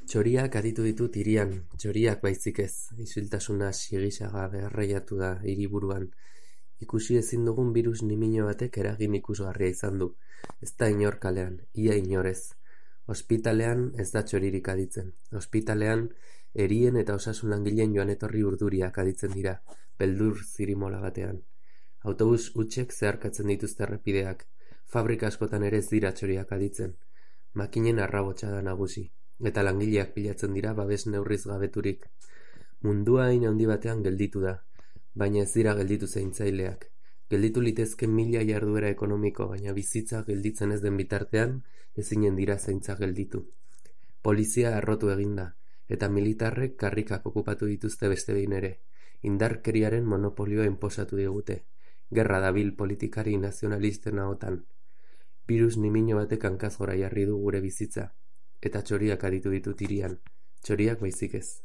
Txoriak aditu ditut hirian, txoriak baizik ez, isiltasuna sigisaga beharraiatu da hiriburuan. Ikusi ezin dugun birus nimino batek eragin ikusgarria izan du. Ez da inor kalean, ia inorez. Ospitalean ez da txoririk aditzen. Ospitalean erien eta osasun langileen joan etorri urduriak aditzen dira, beldur zirimola batean. Autobus hutsek zeharkatzen dituzte errepideak. Fabrika askotan ere ez dira txoriak aditzen. Makinen arrabotsa da nagusi. Eta langileak pilatzen dira babes neurriz gabeturik. Mundua hain handi batean gelditu da, baina ez dira gelditu zaintzaileak. Gelditu litezke mila jarduera ekonomiko, baina bizitza gelditzen ez den bitartean, ezinen dira zaintza gelditu. Polizia arrotu eginda, eta militarrek karrikak okupatu dituzte beste behin ere. Indarkeriaren monopolioa inposatu digute. Gerra dabil politikari nazionalisten ahotan. Birus nimino batek hankaz gora jarri du gure bizitza. Eta txoriak aditu ditut hirian, txoriak baizik ez.